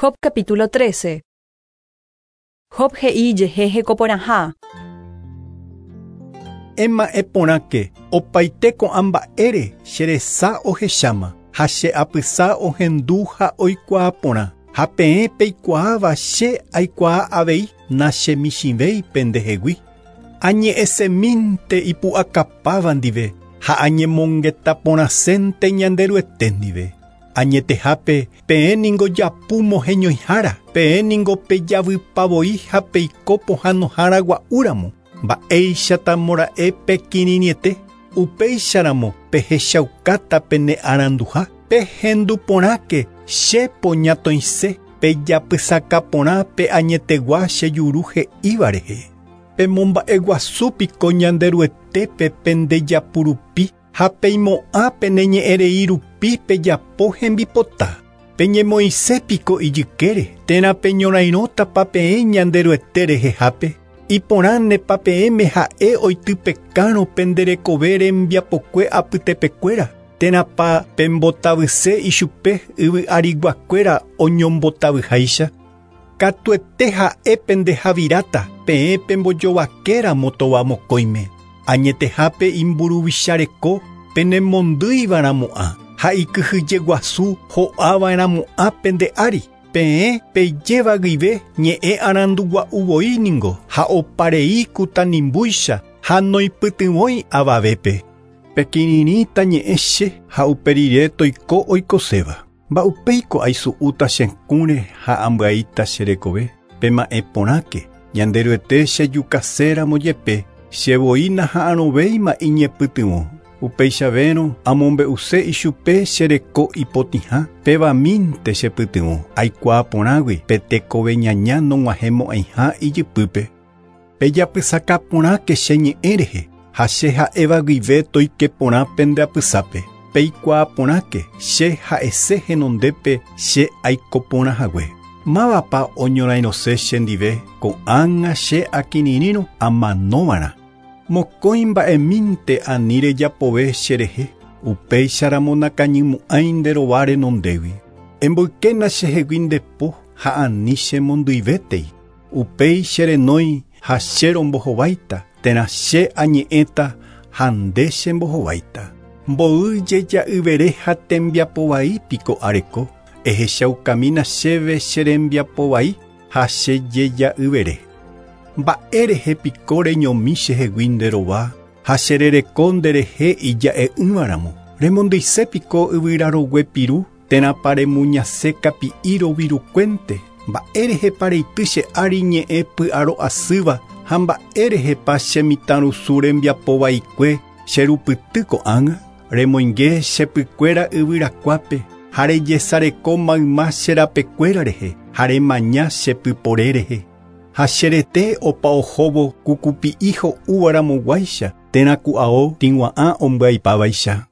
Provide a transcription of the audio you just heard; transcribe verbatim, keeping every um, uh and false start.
Job capítulo trece. Job he'i jehe hekoporãha. Ema'ẽ porãke opaite ko'ã mba'ére che resa ohecháma ha che apysa ohendu ha oikuaa porã ha peẽ peikuaáva che aikuaa avei nachemichĩvéi pendehegui. Añe'ẽsemínte ipu'akapáva ndive ha añemongetaporãsénte Ñanderuete ndive. Añetehápe peẽ ningo japu moheñoihára, peẽ ningo pejavypavoi ha peiko pohãnohára gua'úramo. Mba'éichatamora'e pekirirĩete, upéicharamo pehechaukáta pene aranduha, pehenduporãke che poñatoĩse, pejapysakaporã pe añetegua che juru he'íva rehe. Pemomba'eguasúpiko Ñanderuetépe pendejapurupi ha peimo'ã pene ñe'ẽrei rupi pejapo hembipota. Peñemoĩsépiko ijykére térã peñorairõtapa peẽ Ñanderuete rehehápe. Iporãnepa peẽme ha'e oitypekárõ penderekove rembiapokue apytepekuéra térãpa pembotavyse ichupe yvy'ariguakuéra oñombotavyháicha. Katuete ha'e pendehaviráta peẽ pembojovakéramo tovamokõime. Añetehápe imburuvichareko penemondýiva'erãmo'ã ha ikyhyjeguasu ho'ava'erãmo'ã pende ári. Peẽ pejéva guive ñe'ẽ arandugua'uvoi ningo ha oparei kutanimbúicha ha noipytyvõi avavépe. Pekirirĩta ñe'ẽ che ha uperire toiko oikoséva. Mba'upéiko aisu'úta che kũre ha ambyaíta che rekove. Pema'ẽ porãke Ñanderuete chejukaséramo jepe chevoi naha'arõvéima iñepytyvõ. Upeichavérõ amombe'use ichupe che reko ipotĩha pévamínte chepytyvõ aikuaa porãgui pe tekove ñaña nog̃uahẽmo'ãiha ijypýpe. Pejapysakaporãke che ñe'ẽ rehe ha che ha'éva guive toike porã pende apysápe. Peikuaa porãke che ha'ese henondépe che aikoporãhague. Mávapa oñorairõse chendive ko'ág̃a che akirirĩrõ amanova'erã. Mokõi mba'emínte ani rejapove cherehe, upéicharamo nakañymo'ãi nde rova renondégui. Emboykéna chehegui nde po ha ani chemondyivétei. Upéi cherenói ha che rombohováita térã che añe'ẽta ha nde chembohováita. Mboy jeja'yvere ha tembiapovai piko areko, ehechaukamína chéve che rembiapovai ha che jeja'yvere. Mba'érehe piko reñomi chehegui nde rova ha cherereko nderehe ija'e'ỹvaramo. Remondýise piko yvyrarogue piru térãpa remuñase kapi'i rovirukuénte. Mba'érehepa reity che ári ñe'ẽ py'aro'asýva ha mba'érehepa che mitãrusu rembiapovaikue cherupyty ko'ág̃a. Remoinge chepykuéra yvyrakuápe ha rejesareko mayma che rapekuéra rehe ha remaña chepypore rehe. Ha cherete opa ohóvo kukupi'i ho'úvaramoguáicha térã ku'ao tĩgua'ã ombyaipávaicha.